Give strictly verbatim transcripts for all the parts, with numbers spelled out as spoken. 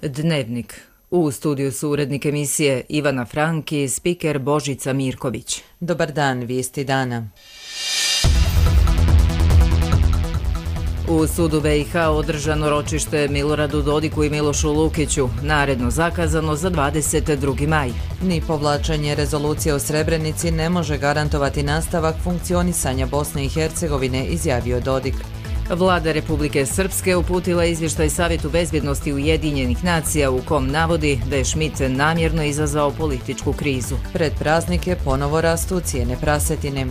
Dnevnik. U studiju su urednik emisije Ivana Frank i spiker Božica Mirković. Dobar dan, vijesti dana. U sudu B i H održano ročište Miloradu Dodiku i Milošu Lukiću, naredno zakazano za dvadeset drugi maj. Ni povlačenje rezolucije o Srebrenici ne može garantovati nastavak funkcionisanja Bosne i Hercegovine, izjavio Dodik. Vlada Republike Srpske uputila izvještaj Savjetu bezbjednosti Ujedinjenih nacija u kom navodi da je Schmidt namjerno izazvao političku krizu. Pred praznike ponovo rastu cijene prasetine.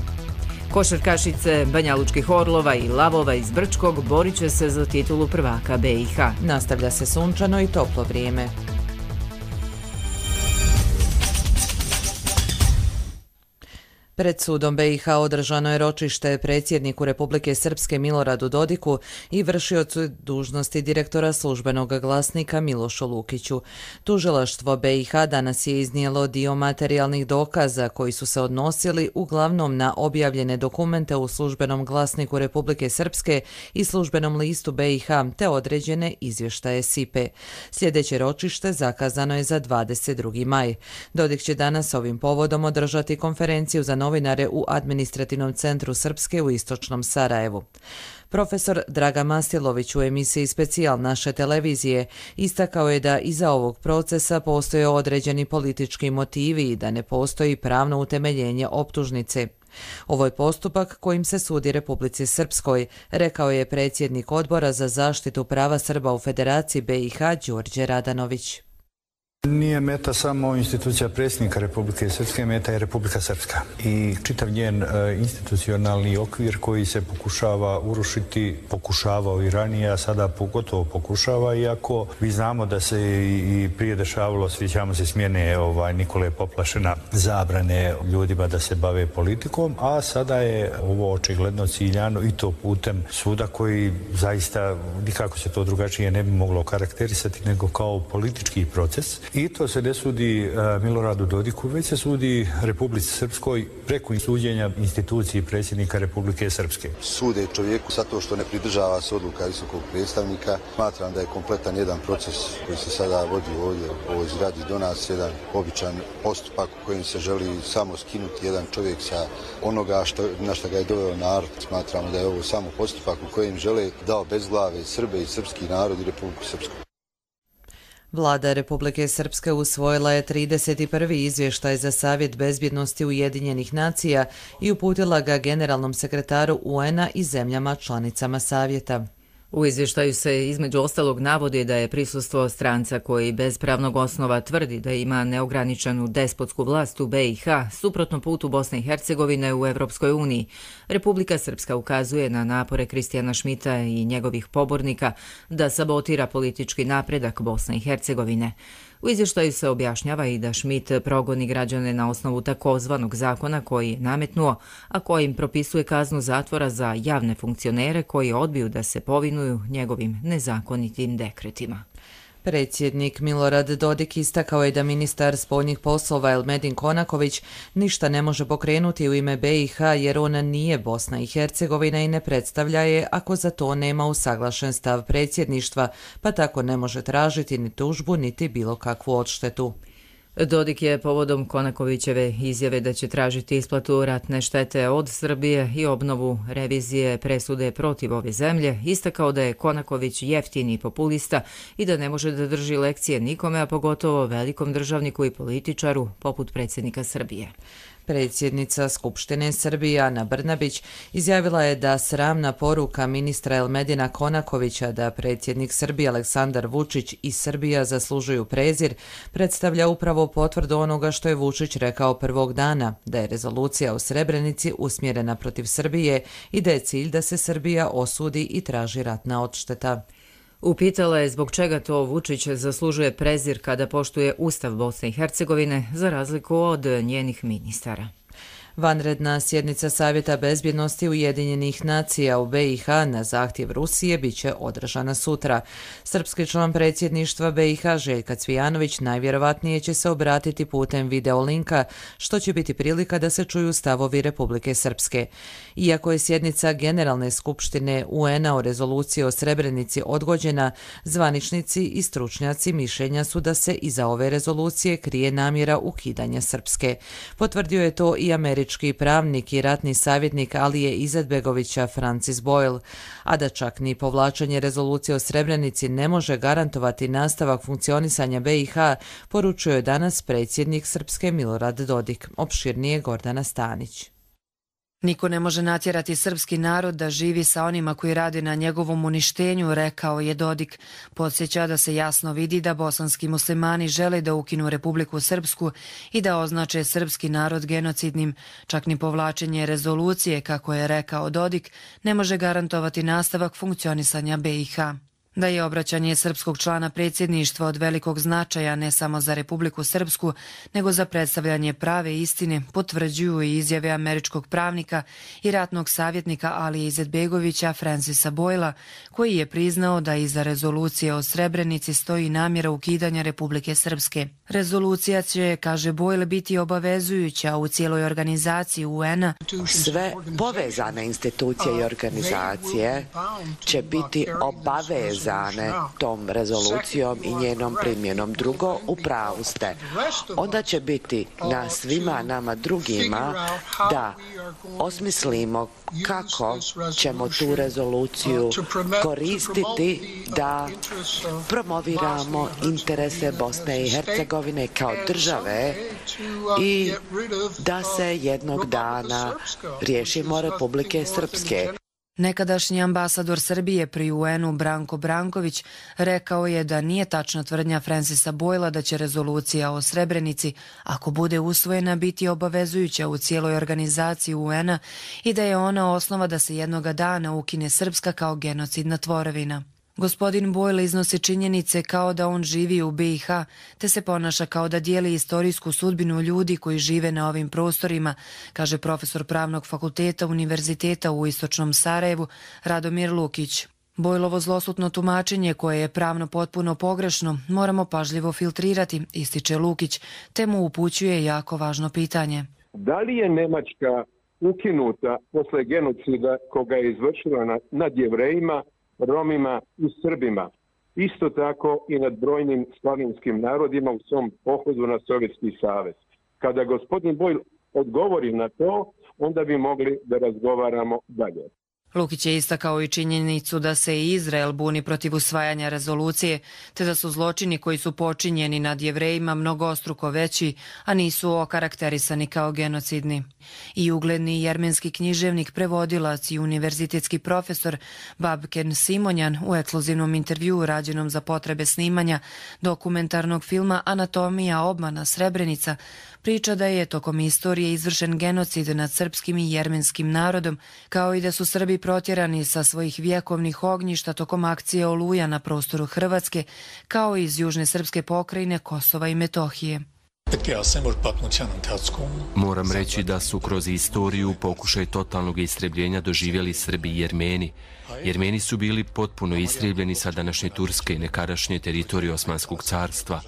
Košarkašice Banjalučkih Orlova i Lavova iz Brčkog borit će se za titulu prvaka B i H. Nastavlja se sunčano i toplo vrijeme. Pred sudom B i H održano je ročište predsjedniku Republike Srpske Miloradu Dodiku i vršiocu dužnosti direktora službenog glasnika Milošu Lukiću. Tužilaštvo B i H danas je iznijelo dio materijalnih dokaza koji su se odnosili uglavnom na objavljene dokumente u službenom glasniku Republike Srpske i službenom listu B i H te određene izvještaje S I P E. Sljedeće ročište zakazano je za dvadeset drugi maj. Dodik će danas ovim povodom održati konferenciju za novinare u administrativnom centru Srpske u istočnom Sarajevu. Profesor Dragan Mastilović u emisiji Specijal naše televizije istakao je da iza ovog procesa postoje određeni politički motivi i da ne postoji pravno utemeljenje optužnice. Ovo je postupak kojim se sudi Republici Srpskoj, rekao je predsjednik Odbora za zaštitu prava Srba u Federaciji B i H Đorđe Radanović. Nije meta samo institucija predsjednika Republike Srpske, meta je Republika Srpska i čitav njen e, institucionalni okvir koji se pokušava urušiti, pokušavao i ranije, a sada pogotovo pokušava, iako vi znamo da se i, i prije dešavalo, sjećamo se smjene ovaj, Nikole Poplašena, zabrane ljudima da se bave politikom, a sada je ovo očigledno ciljano i to putem suda koji zaista nikako se to drugačije ne bi moglo karakterisati nego kao politički proces. I to se ne sudi uh, Miloradu Dodiku, već se sudi Republici Srpskoj preko suđenja instituciji predsjednika Republike Srpske. Sude čovjeku zato što ne pridržava se odluka visokog predstavnika. Smatram da je kompletan jedan proces koji se sada vodi ovdje u ovoj zgradi do nas, jedan običan postupak u kojem se želi samo skinuti jedan čovjek sa onoga što, na što ga je doveo narod. Smatramo da je ovo samo postupak u kojem žele da obezglave Srbe i srpski narod i Republiku Srpsku. Vlada Republike Srpske usvojila je trideset prvi izvještaj za Savjet bezbjednosti Ujedinjenih nacija i uputila ga generalnom sekretaru U N a i zemljama članicama Savjeta. U izvještaju se između ostalog navodi da je prisustvo stranca koji bez pravnog osnova tvrdi da ima neograničenu despotsku vlast u B i H suprotno putu Bosne i Hercegovine u Evropskoj uniji. Republika Srpska ukazuje na napore Kristijana Schmidta i njegovih pobornika da sabotira politički napredak Bosne i Hercegovine. U izvještaju se objašnjava i da Schmidt progoni građane na osnovu takozvanog zakona koji je nametnuo, a kojim propisuje kaznu zatvora za javne funkcionere koji odbiju da se povinuju njegovim nezakonitim dekretima. Predsjednik Milorad Dodik istakao je da ministar spoljnih poslova Elmedin Konaković ništa ne može pokrenuti u ime B i H jer ona nije Bosna i Hercegovina i ne predstavlja je ako za to nema usaglašen stav predsjedništva, pa tako ne može tražiti ni tužbu niti bilo kakvu odštetu. Dodik je povodom Konakovićeve izjave da će tražiti isplatu ratne štete od Srbije i obnovu revizije presude protiv ove zemlje istakao da je Konaković jeftini populista i da ne može da drži lekcije nikome, a pogotovo velikom državniku i političaru poput predsjednika Srbije. Predsjednica Skupštine Srbije Ana Brnabić izjavila je da sramna poruka ministra Elmedina Konakovića da predsjednik Srbije Aleksandar Vučić i Srbija zaslužuju prezir predstavlja upravo potvrdu onoga što je Vučić rekao prvog dana, da je rezolucija o Srebrenici usmjerena protiv Srbije i da je cilj da se Srbija osudi i traži ratna odšteta. Upitala je zbog čega to Vučić zaslužuje prezir kada poštuje Ustav Bosne i Hercegovine za razliku od njenih ministara. Vanredna sjednica Savjeta bezbjednosti Ujedinjenih nacija u be i ha na zahtjev Rusije bit će održana sutra. Srpski član predsjedništva be i ha Željka Cvijanović najvjerovatnije će se obratiti putem videolinka, što će biti prilika da se čuju stavovi Republike Srpske. Iako je sjednica Generalne skupštine u en a o rezoluciji o Srebrenici odgođena, zvaničnici i stručnjaci mišljenja su da se iza ove rezolucije krije namjera ukidanja Srpske. Potvrdio je to i američki pravnik i ratni savjetnik Alije Izetbegovića Francis Boyle, a da čak ni povlačenje rezolucije o Srebrenici ne može garantovati nastavak funkcionisanja be i ha, poručuje danas predsjednik Srpske Milorad Dodik. Opširnije Gordana Stanić. Niko ne može natjerati srpski narod da živi sa onima koji rade na njegovom uništenju, rekao je Dodik. Podsjeća da se jasno vidi da bosanski muslimani žele da ukinu Republiku Srpsku i da označe srpski narod genocidnim. Čak ni povlačenje rezolucije, kako je rekao Dodik, ne može garantovati nastavak funkcionisanja be i ha. Da je obraćanje srpskog člana predsjedništva od velikog značaja ne samo za Republiku Srpsku, nego za predstavljanje prave istine, potvrđuju i izjave američkog pravnika i ratnog savjetnika Alije Izetbegovića Francisa Boyla, koji je priznao da iza rezolucije o Srebrenici stoji namjera ukidanja Republike Srpske. Rezolucija će, kaže Boyle, biti obavezujuća u cijeloj organizaciji u en a. Sve povezane institucije i organizacije će biti obavezane tom rezolucijom i njenom primjenom. Drugo, u pravu ste. Onda će biti na svima nama drugima da osmislimo kako ćemo tu rezoluciju koristiti da promoviramo interese Bosne i Hercegovine kao države i da se jednog dana riješimo Republike Srpske. Nekadašnji ambasador Srbije pri u en u Branko Branković rekao je da nije tačna tvrdnja Francisa Boyla da će rezolucija o Srebrenici, ako bude usvojena, biti obavezujuća u cijeloj organizaciji u en a i da je ona osnova da se jednoga dana ukine Srpska kao genocidna tvorevina. Gospodin Boyle iznosi činjenice kao da on živi u be i ha, te se ponaša kao da dijeli istorijsku sudbinu ljudi koji žive na ovim prostorima, kaže profesor Pravnog fakulteta Univerziteta u Istočnom Sarajevu Radomir Lukić. Bojlovo zlosutno tumačenje, koje je pravno potpuno pogrešno, moramo pažljivo filtrirati, ističe Lukić, te mu upućuje jako važno pitanje. Da li je Nemačka ukinuta posle genocida koga je izvršila nad Jevrejima, Romima i Srbima, isto tako i nad brojnim slavinskim narodima u svom pohodu na Sovjetski savez? Kada gospodin Boyle odgovori na to, onda bi mogli da razgovaramo dalje. Lukić je istakao i činjenicu da se i Izrael buni protiv usvajanja rezolucije, te da su zločini koji su počinjeni nad Jevrejima mnogostruko veći, a nisu okarakterisani kao genocidni. I ugledni jermenski književnik, prevodilac i univerzitetski profesor Babken Simonjan u ekskluzivnom intervjuu rađenom za potrebe snimanja dokumentarnog filma Anatomija obmana Srebrenica priča da je tokom istorije izvršen genocid nad srpskim i jermenskim narodom, kao i da su Srbi protjerani sa svojih vjekovnih ognjišta tokom akcije Oluja na prostoru Hrvatske, kao i iz južne srpske pokrajine Kosova i Metohije. Moram reći da su kroz istoriju pokušaj totalnog istrebljenja doživjeli Srbi i Jermeni. Jermeni su bili potpuno istrebljeni sa današnje Turske i nekadašnje teritorije Osmanskog carstva.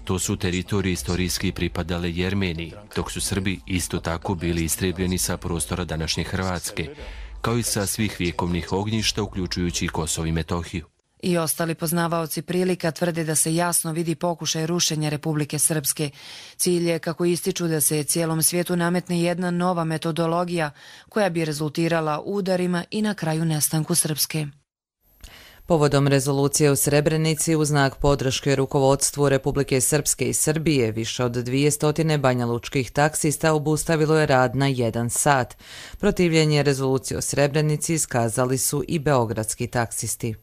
To su teritorije istorijski pripadale Jermeniji, dok su Srbi isto tako bili istrebljeni sa prostora današnje Hrvatske, kao i sa svih vjekovnih ognjišta, uključujući i Kosovo i Metohiju. I ostali poznavaoci prilika tvrde da se jasno vidi pokušaj rušenja Republike Srpske. Cilj je, kako ističu, da se cijelom svijetu nametne jedna nova metodologija koja bi rezultirala udarima i na kraju nestanku Srpske. Povodom rezolucije u Srebrenici u znak podrške rukovodstvu Republike Srpske i Srbije više od dvjesto banjalučkih taksista obustavilo je rad na jedan sat. Protivljenje rezolucije o Srebrenici iskazali su i beogradski taksisti.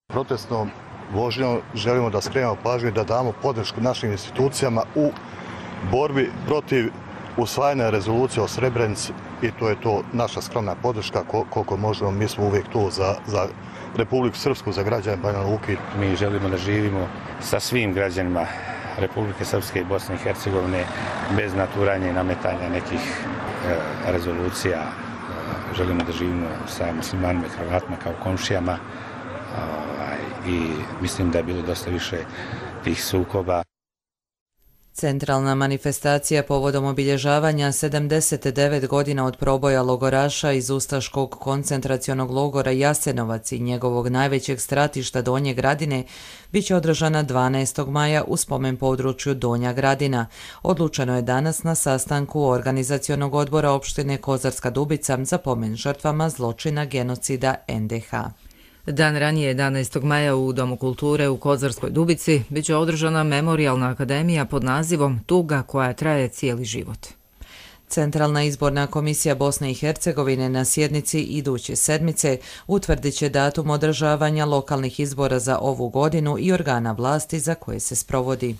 Protestnom vožnjom želimo da skrenemo pažnju i da damo podršku našim institucijama u borbi protiv usvajanja rezolucije o Srebrenici i to je to naša skromna podrška koliko možemo. Mi smo uvijek tu za, za Republiku Srpsku, za građane Banja Luke. Mi želimo da živimo sa svim građanima Republike Srpske i Bosne i Hercegovine bez naturanja i nametanja nekih rezolucija. Želimo da živimo sa muslimanima i Hrvatima kao komšijama i mislim da je bilo dosta više tih sukoba. Centralna manifestacija povodom obilježavanja sedamdeset devet godina od proboja logoraša iz ustaškog koncentracionog logora Jasenovac i njegovog najvećeg stratišta Donje Gradine bit će održana dvanaestog maja u spomen području Donja Gradina. Odlučeno je danas na sastanku organizacionog odbora opštine Kozarska Dubica za pomen žrtvama zločina genocida en de ha. Dan ranije, jedanaestog maja, u Domu kulture u Kozarskoj Dubici biće održana memorijalna akademija pod nazivom Tuga koja traje cijeli život. Centralna izborna komisija Bosne i Hercegovine na sjednici iduće sedmice utvrdit će datum održavanja lokalnih izbora za ovu godinu i organa vlasti za koje se sprovodi.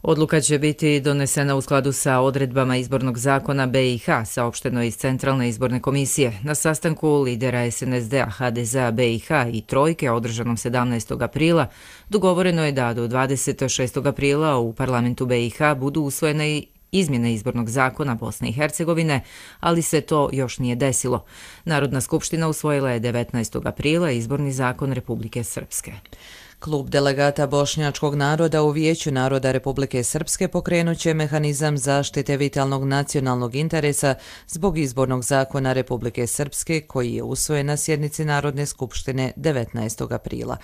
Odluka će biti donesena u skladu sa odredbama izbornog zakona be i ha, saopšteno iz Centralne izborne komisije. Na sastanku lidera es en es de a, ha de ze a, be i ha i Trojke, održanom sedamnaestog aprila, dogovoreno je da do dvadeset šestog aprila u parlamentu be i ha budu usvojene i izmjene izbornog zakona Bosne i Hercegovine, ali se to još nije desilo. Narodna skupština usvojila je devetnaestog aprila izborni zakon Republike Srpske. Klub delegata bošnjačkog naroda u Vijeću naroda Republike Srpske pokrenut će mehanizam zaštite vitalnog nacionalnog interesa zbog izbornog zakona Republike Srpske koji je usvojen na sjednici Narodne skupštine devetnaestog aprila.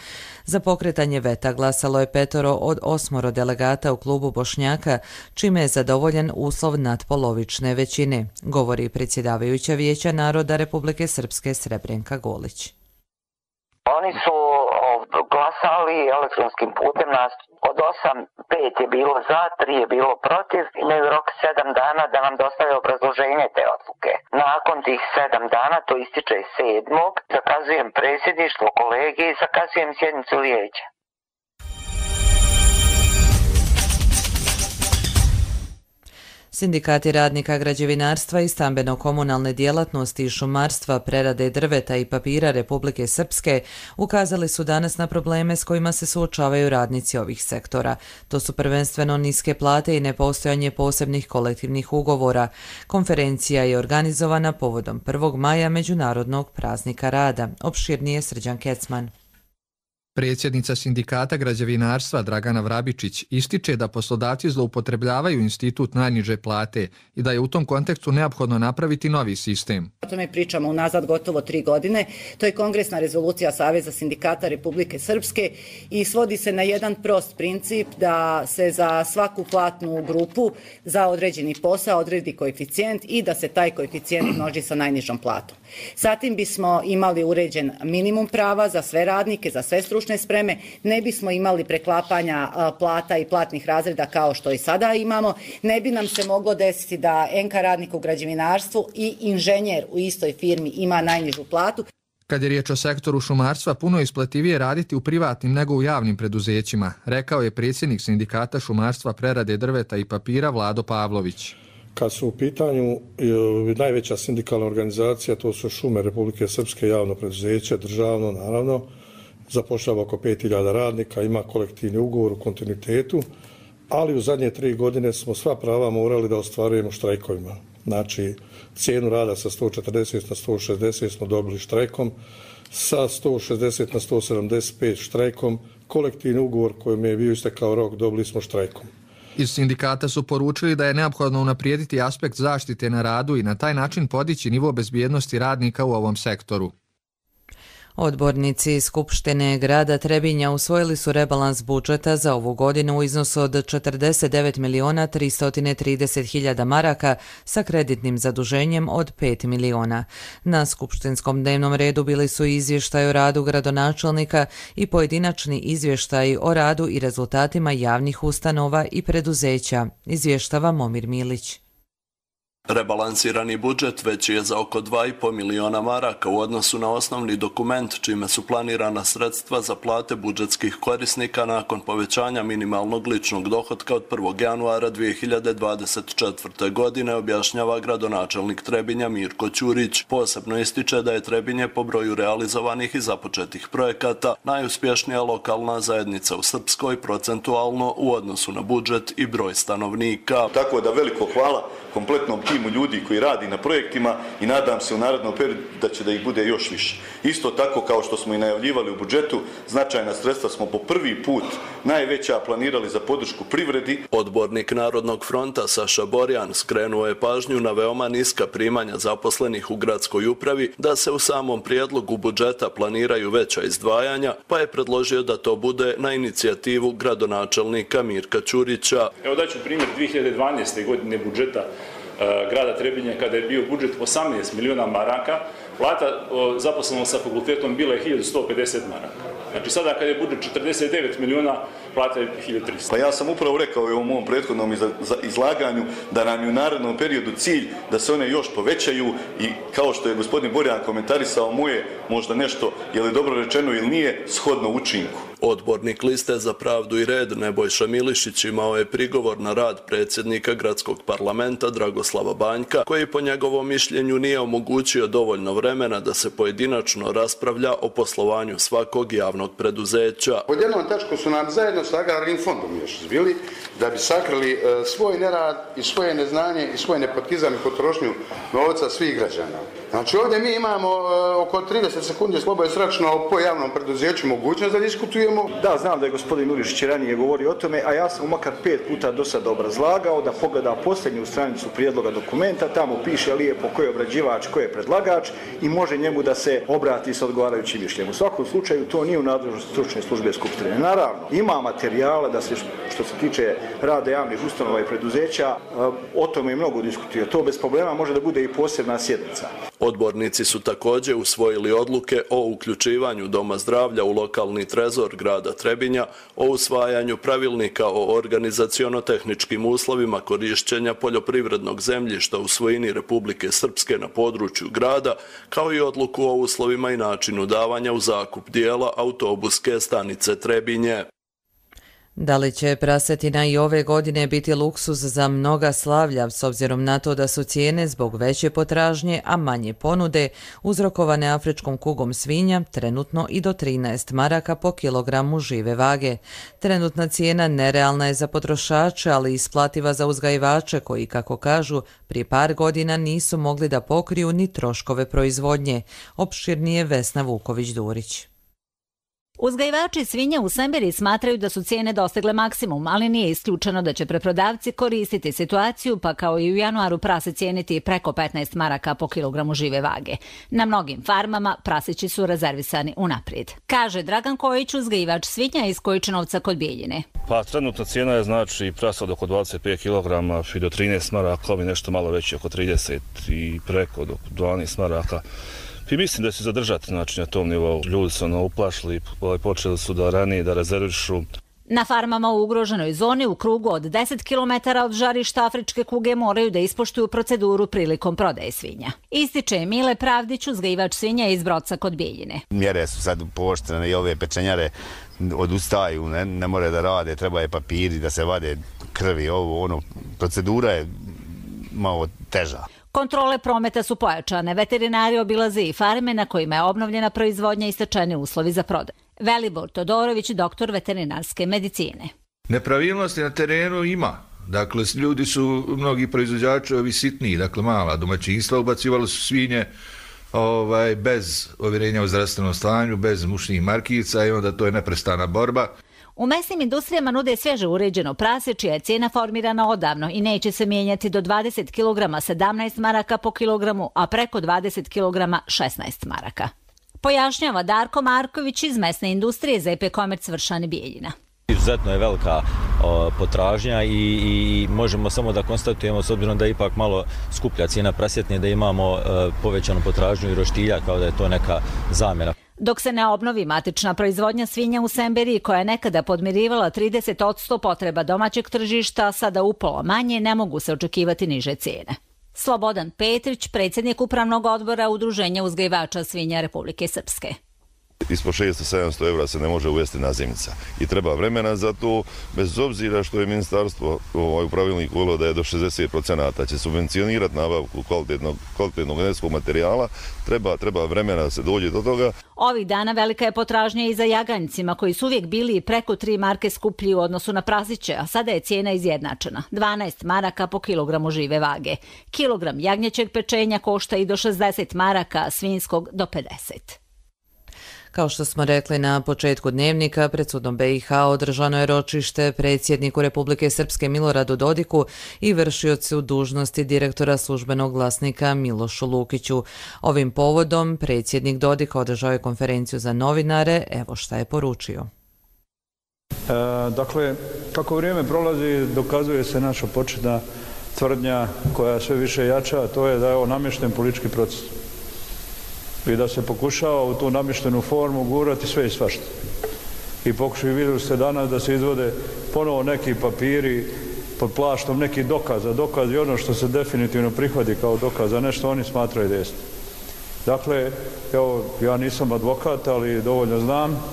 Za pokretanje veta glasalo je petoro od osmoro delegata u klubu Bošnjaka, čime je zadovoljen uslov nadpolovične većine, govori predsjedavajuća Vijeća naroda Republike Srpske Srebrenka Golić. Oni su glasali elektronskim putem, nas od osam, pet je bilo za, tri je bilo protiv, imaju rok sedam dana da nam dostave obrazloženje te odluke. Nakon tih sedam dana, to ističe sedmog, zakazujem predsjedništvo kolege i zakazujem sjednicu vijeća. Sindikati radnika građevinarstva i stambeno-komunalne djelatnosti i šumarstva, prerade drveta i papira Republike Srpske ukazali su danas na probleme s kojima se suočavaju radnici ovih sektora. To su prvenstveno niske plate i nepostojanje posebnih kolektivnih ugovora. Konferencija je organizovana povodom prvog maja Međunarodnog praznika rada. Opširnije Srđan Kecman. Predsjednica Sindikata građevinarstva Dragana Vrabičić ističe da poslodavci zloupotrebljavaju institut najniže plate i da je u tom kontekstu neophodno napraviti novi sistem. O tome pričamo unazad gotovo tri godine. To je kongresna rezolucija Saveza sindikata Republike Srpske i svodi se na jedan prost princip da se za svaku platnu grupu za određeni posao odredi koeficijent i da se taj koeficijent množi sa najnižom platom. Zatim bismo imali uređen minimum prava za sve radnike, za sve stručne spreme, ne bismo imali preklapanja plata i platnih razreda kao što i sada imamo, ne bi nam se moglo desiti da en ka radnik u građevinarstvu i inženjer u istoj firmi ima najnižu platu. Kad je riječ o sektoru šumarstva, puno je isplativije raditi u privatnim nego u javnim preduzećima, rekao je predsjednik Sindikata šumarstva, prerade drveta i papira Vlado Pavlović. Kad su u pitanju najveća sindikalna organizacija, to su Šume Republike Srpske, javno preduzeće, državno naravno, zapošljava oko pet hiljada radnika, ima kolektivni ugovor u kontinuitetu, ali u zadnje tri godine smo sva prava morali da ostvarujemo štrajkovima. Znači, cijenu rada sa sto četrdeset na sto šezdeset smo dobili štrajkom, sa sto šezdeset na sto sedamdeset pet štrajkom, kolektivni ugovor kojim je bio istekao rok dobili smo štrajkom. Iz sindikata su poručili da je neophodno unaprijediti aspekt zaštite na radu i na taj način podići nivo bezbjednosti radnika u ovom sektoru. Odbornici Skupštine grada Trebinja usvojili su rebalans budžeta za ovu godinu u iznosu od četrdeset devet miliona tristo trideset hiljada maraka sa kreditnim zaduženjem od pet miliona. Na skupštinskom dnevnom redu bili su izvještaj o radu gradonačelnika i pojedinačni izvještaj o radu i rezultatima javnih ustanova i preduzeća, izvještava Momir Milić. Rebalansirani budžet veći je za oko dva i po miliona maraka u odnosu na osnovni dokument, čime su planirana sredstva za plate budžetskih korisnika nakon povećanja minimalnog ličnog dohotka od prvog januara dvije hiljade dvadeset četvrte. godine, objašnjava gradonačelnik Trebinja Mirko Ćurić. Posebno ističe da je Trebinje po broju realizovanih i započetih projekata najuspješnija lokalna zajednica u Srpskoj procentualno u odnosu na budžet i broj stanovnika. Tako da veliko hvala kompletnom timu timu ljudi koji radi na projektima i nadam se u narednom periodu da će da ih bude još više. Isto tako kao što smo i najavljivali u budžetu, značajna sredstva smo po prvi put najveća planirali za podršku privredi. Odbornik Narodnog fronta Saša Borjan skrenuo je pažnju na veoma niska primanja zaposlenih u gradskoj upravi, da se u samom prijedlogu budžeta planiraju veća izdvajanja, pa je predložio da to bude na inicijativu gradonačelnika Mirka Ćurića. Evo daću primjer dvije hiljade dvanaeste. godine budžeta e, grada Trebinja, kada je bio budžet osamnaest miliona maraka, plata o, zaposlenog sa fakultetom bila je hiljadu sto pedeset maraka. Znači sada kada je budžet četrdeset devet miliona, plata je hiljadu tristo. Pa ja sam upravo rekao u ovom mom prethodnom izlaganju da nam je u narednom periodu cilj da se one još povećaju i kao što je gospodin Borjan komentarisao moje možda nešto, je li dobro rečeno ili nije, shodno učinku. Odbornik Liste za pravdu i red Nebojša Milišić imao je prigovor na rad predsjednika gradskog parlamenta Dragoslava Banjka, koji po njegovom mišljenju nije omogućio dovoljno vremena da se pojedinačno raspravlja o poslovanju svakog javnog preduzeća. Pod jednom tačkom su nam zajedno sa Agrarnim fondom još izbili da bi sakrili e, svoj nerad i svoje neznanje i svoj nepotizam i potrošnju novca svih građana. Znači ovdje mi imamo e, oko trideset sekundi slobodno sračno po javnom preduzeću mogućnost da diskutujemo. Da, znam da je gospodin Milišić ranije govorio o tome, a ja sam makar pet puta do sada obrazlagao da pogleda posljednju stranicu prijedloga dokumenta, tamo piše lijepo ko je obrađivač, ko je predlagač i može njemu da se obrati sa odgovarajućim mišljenjem. U svakom slučaju to nije u nadležnosti stručne službe Skupštine. Naravno, ima materijala da se što se tiče rada javnih ustanova i preduzeća, o tome i mnogo diskutuje. To bez problema može da bude i posebna sjednica. Odbornici su također usvojili odluke o uključivanju Doma zdravlja u lokalni trezor grada Trebinja, o usvajanju pravilnika o organizaciono-tehničkim uslovima korišćenja poljoprivrednog zemljišta u svojini Republike Srpske na području grada, kao i odluku o uslovima i načinu davanja u zakup dijela autobuske stanice Trebinje. Da li će prasetina i ove godine biti luksuz za mnoga slavlja, s obzirom na to da su cijene zbog veće potražnje, a manje ponude, uzrokovane afričkom kugom svinja, trenutno i do trinaest maraka po kilogramu žive vage. Trenutna cijena nerealna je za potrošače, ali isplativa za uzgajivače koji, kako kažu, prije par godina nisu mogli da pokriju ni troškove proizvodnje. Opširnije Vesna Vuković-Durić. Uzgajivači svinja u Semberiji smatraju da su cijene dostigle maksimum, ali nije isključeno da će preprodavci koristiti situaciju, pa kao i u januaru prase cijeniti preko petnaest maraka po kilogramu žive vage. Na mnogim farmama prasići su rezervisani unaprijed. Kaže Dragan Kojić, uzgajivač svinja iz Kojičinovca kod Bijeljine. Pa trenutna cijena je znači prasa od oko dvadeset pet kilograma i do trinaest maraka, ovi nešto malo veći oko trideset i preko do dvanaest maraka. I mislim da će se zadržati znači, na tom nivou. Ljudi su ono uplašili, počeli su da ranije da rezervišu. Na farmama u ugroženoj zoni u krugu od deset kilometara od žarišta afričke kuge moraju da ispoštuju proceduru prilikom prodaje svinja. Ističe Mile Pravdić, uzgajivač svinja iz Broca kod Bijeljine. Mjere su sad pooštrene i ove pečenjare odustaju, ne, ne more da rade, treba je papiri da se vade krvi, ovo, ono, procedura je malo teža. Kontrole prometa su pojačane, veterinari obilaze i farme na kojima je obnovljena proizvodnja i stečeni uslovi za prodaju. Velibor Todorović, doktor veterinarske medicine. Nepravilnosti na terenu ima. Dakle, ljudi su, mnogi proizvođači ovi sitniji, dakle mala domaćinstva, ubacivali su svinje ovaj, bez ovjerenja o zdravstvenom stanju, bez mušnih markica i onda to je neprestana borba. U mesnim industrijama nude svježe uređeno prase, čija je cijena formirana odavno i neće se mijenjati do dvadeset kilograma sedamnaest maraka po kilogramu, a preko dvadeset kilograma šesnaest maraka. Pojašnjava Darko Marković iz mesne industrije Z P Komerc Vršani Bijeljina. Izuzetno je velika o, potražnja i, i možemo samo da konstatujemo, s obzirom da je ipak malo skuplja cijena prasjetne, da imamo o, povećanu potražnju i roštilja, kao da je to neka zamjena. Dok se ne obnovi matična proizvodnja svinja u Semberiji, koja je nekada podmirivala trideset posto potreba domaćeg tržišta, sada upola manje, ne mogu se očekivati niže cijene. Slobodan Petrić, predsjednik upravnog odbora Udruženja uzgajivača svinja Republike Srpske. Ispod šesto do sedamsto eura se ne može uvesti nazimnica i treba vremena za to, bez obzira što je ministarstvo ovaj pravilnik uvelo da je do šezdeset procenata će subvencionirati nabavku kvalitetnog, kvalitetnog genetskog materijala, treba, treba vremena da se dođe do toga. Ovih dana velika je potražnja i za jaganjcima koji su uvijek bili preko tri marke skuplji u odnosu na praziće, a sada je cijena izjednačena. dvanaest maraka po kilogramu žive vage. Kilogram jagnjećeg pečenja košta i do šezdeset maraka, svinjskog do pedeset. Kao što smo rekli na početku dnevnika, pred sudom B i H održano je ročište predsjedniku Republike Srpske Miloradu Dodiku i vršiocu dužnosti direktora službenog glasnika Milošu Lukiću. Ovim povodom predsjednik Dodik održao je konferenciju za novinare, evo šta je poručio. E, dakle, kako vrijeme prolazi, dokazuje se naša početna tvrdnja koja sve više jača, a to je da je ovo namješten politički proces i da se pokušava u tu namještenu formu gurati sve i svašta. I pokušaju, vidjeli ste danas da se izvode ponovo neki papiri pod plaštom nekih dokaza. Dokaz je ono što se definitivno prihvati kao dokaz, a nešto oni smatraju da jeste. Dakle, evo, ja nisam advokat, ali dovoljno znam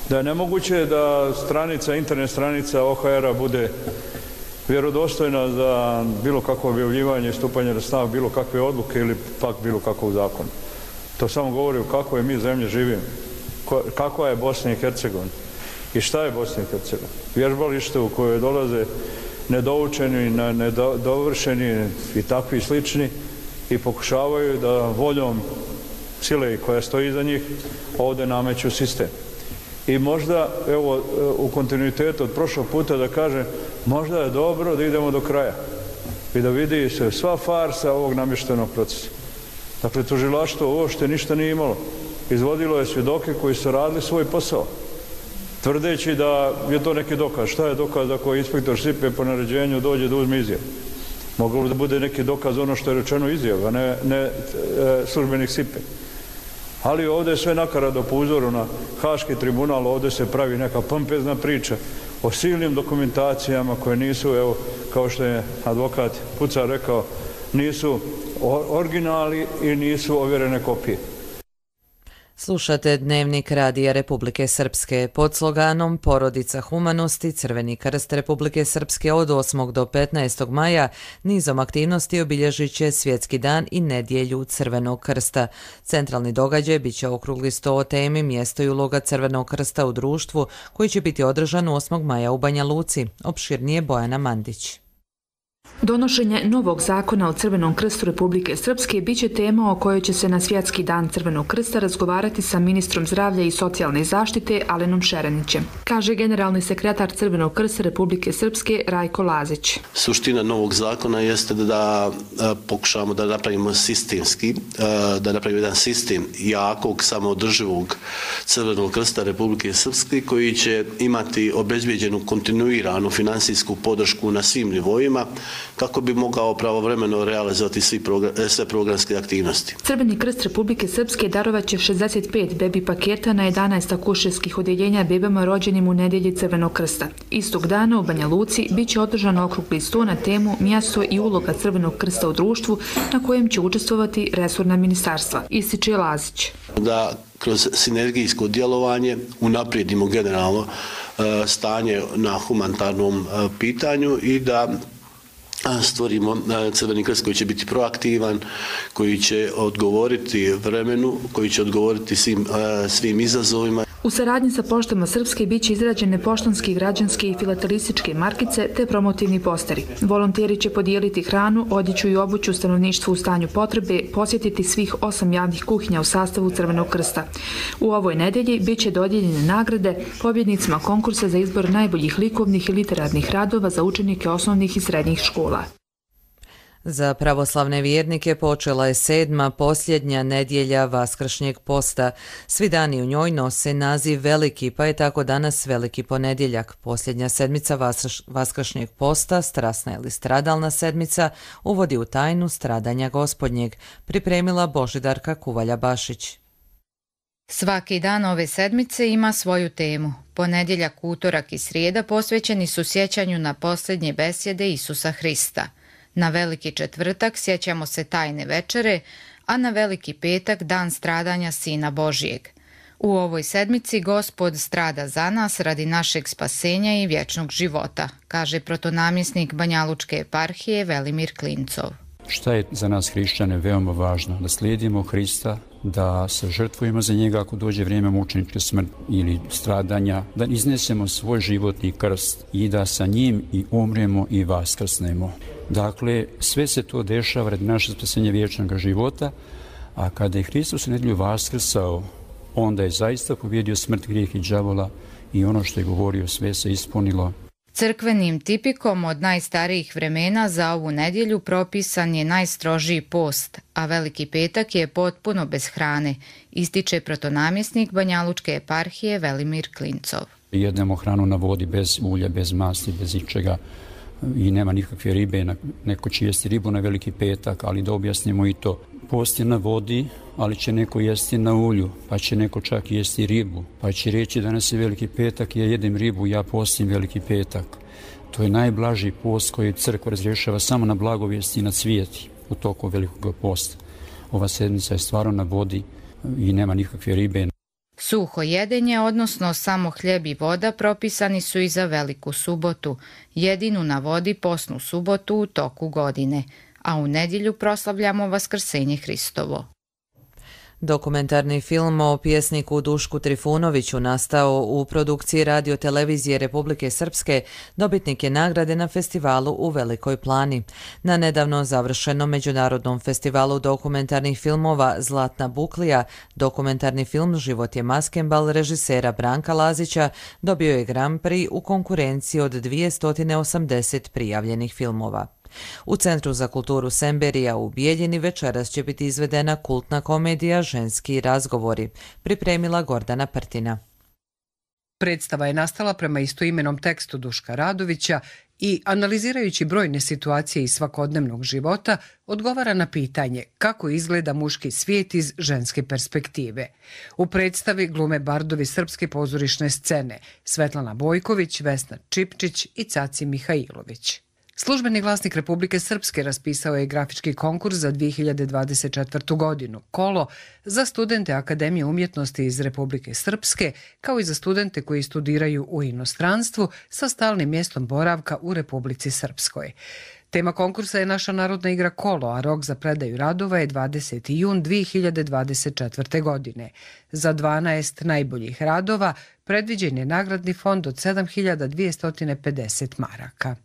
da je nemoguće da stranica, internet stranica O H R-a bude vjerodostojna za bilo kakvo objavljivanje i stupanje na snagu bilo kakve odluke ili pak bilo kakvog zakona. To samo govori o kakvoj mi zemlji živimo, kakva je Bosna i Hercegovina i šta je Bosna i Hercegovina. Vježbalište u koje dolaze nedoučeni, nedovršeni i takvi slični i pokušavaju da voljom sile koja stoji iza njih ovdje nameću sistem. I možda, evo, u kontinuitetu od prošlog puta da kažem, možda je dobro da idemo do kraja i da vidi se sva farsa ovog namještenog procesa. Dakle, tužilaštvo uopšte ništa nije imalo. Izvodilo je svjedoke koji su radili svoj posao, tvrdeći da je to neki dokaz. Šta je dokaz ako inspektor Sipe po naređenju dođe da uzme izjavu? Moglo da bude neki dokaz ono što je rečeno izjava, a ne, ne e, službenik Sipe. Ali ovdje je sve nakaradno po uzoru na Haški tribunal, ovdje se pravi neka pompezna priča o silnim dokumentacijama koje nisu, evo, kao što je advokat Pucar rekao, nisu originali i nisu ovjerene kopije. Slušate Dnevnik Radija Republike Srpske. Pod sloganom Porodica humanosti Crveni krst Republike Srpske od osmog do petnaestog maja nizom aktivnosti obilježit će Svjetski dan i nedjelju Crvenog krsta. Centralni događaj bit će okrugli sto o temi mjesto i uloga Crvenog krsta u društvu koji će biti održan osmog maja u Banja Luci. Opširnije Bojana Mandić. Donošenje novog zakona o Crvenom krstu Republike Srpske biće tema o kojoj će se na Svjetski dan Crvenog krsta razgovarati sa ministrom zdravlja i socijalne zaštite Alenom Šerenićem, kaže generalni sekretar Crvenog krsta Republike Srpske Rajko Lazić. Suština novog zakona jeste da, da pokušamo da napravimo sistemski, da napravimo jedan sistem jakog, samoodrživog Crvenog krsta Republike Srpske koji će imati obezbijeđenu kontinuiranu finansijsku podršku na svim nivoima kako bi mogao pravovremeno realizovati svi program, sve programske aktivnosti. Crveni krst Republike Srpske darovat će šezdeset pet bebi paketa na jedanaest akušerskih odjeljenja bebama rođenim u nedjelji Crvenog krsta. Istog dana u Banja Luci bit će održan okrugli sto na temu mjesto i uloga Crvenog krsta u društvu na kojem će učestvovati resorna ministarstva, ističe Lazić. Da kroz sinergijsko djelovanje unaprijedimo generalno stanje na humanitarnom pitanju i da stvorimo Crveni krst koji će biti proaktivan, koji će odgovoriti vremenu, koji će odgovoriti svim, svim izazovima. U saradnji sa poštama Srpske biće izrađene poštanske, građanske i filatelističke markice te promotivni posteri. Volonteri će podijeliti hranu, odjeću i obuću stanovništvu u stanju potrebe, posjetiti svih osam javnih kuhinja u sastavu Crvenog krsta. U ovoj nedelji biće dodijeljene nagrade pobjednicima konkursa za izbor najboljih likovnih i literarnih radova za učenike osnovnih i srednjih škola. Za pravoslavne vjernike počela je sedma posljednja nedjelja Vaskršnjeg posta. Svi dani u njoj nose naziv Veliki, pa je tako danas Veliki ponedjeljak. Posljednja sedmica Vaskršnjeg posta, strasna ili stradalna sedmica, uvodi u tajnu stradanja Gospodnjeg, pripremila Božidarka Kuvalja-Bašić. Svaki dan ove sedmice ima svoju temu. Ponedjeljak, utorak i srijeda posvećeni su sjećanju na posljednje besjede Isusa Hrista. Na Veliki četvrtak sjećamo se tajne večere, a na Veliki petak dan stradanja Sina Božijeg. U ovoj sedmici Gospod strada za nas radi našeg spasenja i vječnog života, kaže protonamjesnik Banjalučke eparhije Velimir Klincov. Šta je za nas hrišćane veoma važno? Da slijedimo Hrista, da se žrtvujemo za njega ako dođe vrijeme mučeničke smrti ili stradanja, da iznesemo svoj životni krst i da sa njim i umremo i vaskrsnemo. Dakle, sve se to dešava radi naše spasenja vječnog života, a kada je Hristos u nedjelju vaskrsao, onda je zaista pobjedio smrt, grijeh i đavola i ono što je govorio sve se ispunilo. Crkvenim tipikom od najstarijih vremena za ovu nedjelju propisan je najstrožiji post, a Veliki petak je potpuno bez hrane, ističe protonamjesnik Banjalučke eparhije Velimir Klincov. Jedemo hranu na vodi bez ulja, bez masti, bez ičega i nema nikakve ribe. Neko će jesti ribu na Veliki petak, ali da objasnimo i to. Post je na vodi, ali će neko jesti na ulju, pa će neko čak jesti ribu, pa će reći danas je Veliki petak, ja jedem ribu, ja postim Veliki petak. To je najblaži post koji crkva razrješava samo na blagovijesti i na cvijeti u toku Velikog posta. Ova sedmica je stvarno na vodi i nema nikakve ribe. Suho jedenje, odnosno samo hljeb i voda, propisani su i za Veliku subotu, jedinu na vodi posnu subotu u toku godine, a u nedjelju proslavljamo Vaskrsenje Hristovo. Dokumentarni film o pjesniku Dušku Trifunoviću nastao u produkciji Radio-televizije Republike Srpske dobitnik je nagrade na festivalu u Velikoj Plani. Na nedavno završenom međunarodnom festivalu dokumentarnih filmova Zlatna buklija, dokumentarni film Život je maskembal režisera Branka Lazića dobio je Grand Prix u konkurenciji od dvjesto osamdeset prijavljenih filmova. U Centru za kulturu Semberija u Bijeljini večeras će biti izvedena kultna komedija Ženski razgovori, pripremila Gordana Prtina. Predstava je nastala prema istoimenom tekstu Duška Radovića i, analizirajući brojne situacije iz svakodnevnog života, odgovara na pitanje kako izgleda muški svijet iz ženske perspektive. U predstavi glume bardovi srpske pozorišne scene Svetlana Bojković, Vesna Čipčić i Caci Mihajlović. Službeni glasnik Republike Srpske raspisao je grafički konkurs za dvije hiljade dvadeset četvrtu. godinu, Kolo, za studente Akademije umjetnosti iz Republike Srpske, kao i za studente koji studiraju u inostranstvu sa stalnim mjestom boravka u Republici Srpskoj. Tema konkursa je naša narodna igra Kolo, a rok za predaju radova je dvadeseti jun dvije hiljade dvadeset četvrte. godine. Za dvanaest najboljih radova predviđen je nagradni fond od sedam hiljada dvjesto pedeset maraka.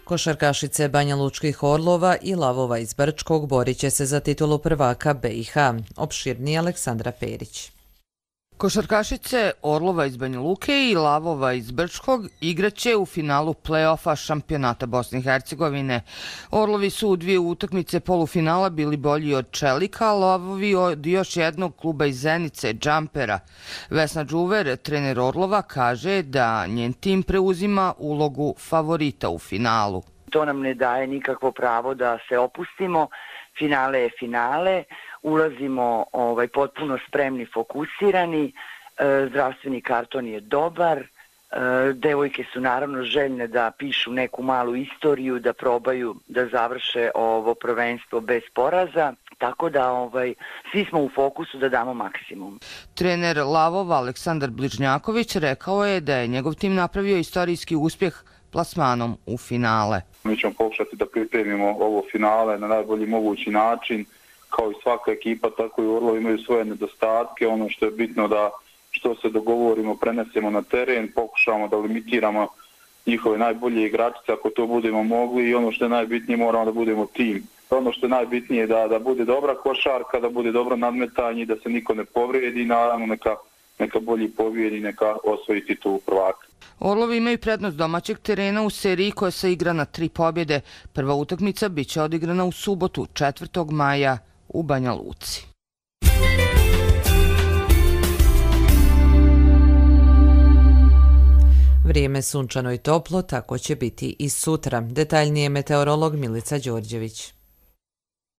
Košarkašice Banjalučkih Orlova i Lavova iz Brčkog borit će se za titulu prvaka B i H. Opširnije Aleksandra Perić. Košarkašice Orlova iz Banja Luke i Lavova iz Brčkog igraće u finalu play-offa šampionata Bosne i Hercegovine. Orlovi su u dvije utakmice polufinala bili bolji od Čelika, a Lavovi od još jednog kluba iz Zenice, Džampera. Vesna Đuver, trener Orlova, kaže da njen tim preuzima ulogu favorita u finalu. To nam ne daje nikakvo pravo da se opustimo. Finale je finale. Ulazimo ovaj, potpuno spremni, fokusirani, e, zdravstveni karton je dobar, e, devojke su naravno željne da pišu neku malu istoriju, da probaju da završe ovo prvenstvo bez poraza, tako da ovaj, svi smo u fokusu da damo maksimum. Trener Lavova Aleksandar Bližnjaković rekao je da je njegov tim napravio istorijski uspjeh plasmanom u finale. Mi ćemo pokušati da pripremimo ovo finale na najbolji mogući način. Kao i svaka ekipa, tako i Orlovi imaju svoje nedostatke. Ono što je bitno da što se dogovorimo, prenesemo na teren, pokušamo da limitiramo njihove najbolje igračice ako to budemo mogli i ono što je najbitnije moramo da budemo tim. Ono što je najbitnije je da, da bude dobra košarka, da bude dobro nadmetanje, da se niko ne povredi i naravno neka, neka bolji pobjedi, neka osvoji titulu prvaka. Orlovi imaju prednost domaćeg terena u seriji koja se igra na tri pobjede. Prva utakmica biće odigrana u subotu, četvrtog maja, u Banja Luci. Vrijeme sunčano i toplo, tako će biti i sutra. Detaljnije meteorolog Milica Đorđević.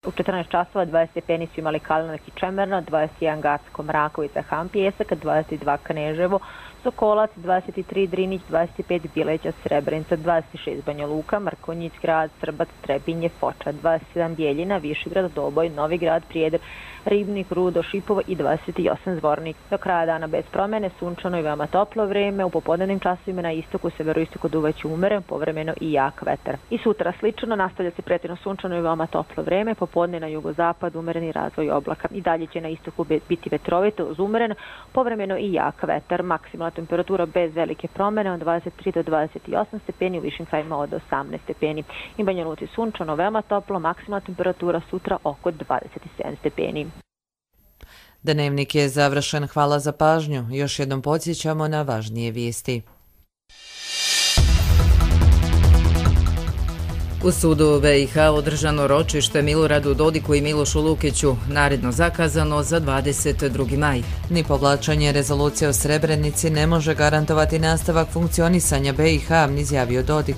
U četrnaest časova dvadeset stepeni su imali Kalinak i Čemerna, dvadeset jedan Gacko, Mrakovica, Han Pjesak, dvadeset dva Kneževo, Sokolac, dvadeset tri Drinić, dvadeset pet Bileća, Srebrenica, dvadeset šest Banja Luka, Mrkonjić Grad, Srbac, Trebinje, Foča, dvadeset sedam Bijeljina, Višegrad, Doboj, Novi Grad, Prijedor, Ribnik, Rudo, Šipovo i dvadeset osam Zvornik. Do kraja dana bez promene, sunčano i veoma toplo vreme, u popodnevnim časovima na istoku, severoistoku duvaće umeren, povremeno i jak vetar. I sutra slično, nastavlja se pretjerano sunčano i veoma toplo vreme, popodne na jugozapad umereni razvoj oblaka. I dalje će na istoku biti vetrovito, uz umeren, povremeno i jak vetar. Maksimalna temperatura bez velike promene od dvadeset tri do dvadeset osam stepeni, u višim krajima od osamnaest stepeni. I Banja Luci sunčano, veoma toplo, maksimalna temperatura sutra oko dvadeset sedam stepeni. Dnevnik je završen, hvala za pažnju. Još jednom podsjećamo na važnije vijesti. U sudu B i H održano ročište Miloradu Dodiku i Milošu Lukiću, naredno zakazano za dvadeset drugi maj. Ni povlačenje rezolucije o Srebrenici ne može garantovati nastavak funkcionisanja B i H, izjavio Dodik.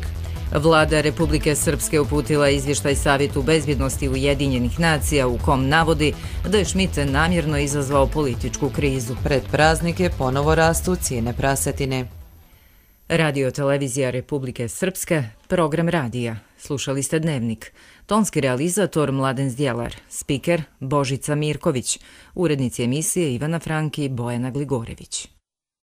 Vlada Republike Srpske uputila izvještaj Savjetu bezbjednosti Ujedinjenih nacija u kom navodi da je Schmidt namjerno izazvao političku krizu. Pred praznike ponovo rastu cijene prasetine. Radio televizija Republike Srpske, program radija. Slušali ste Dnevnik. Tonski realizator Mladen Zdjelar, spiker Božica Mirković, urednici emisije Ivana Franki i Bojana Gligorević.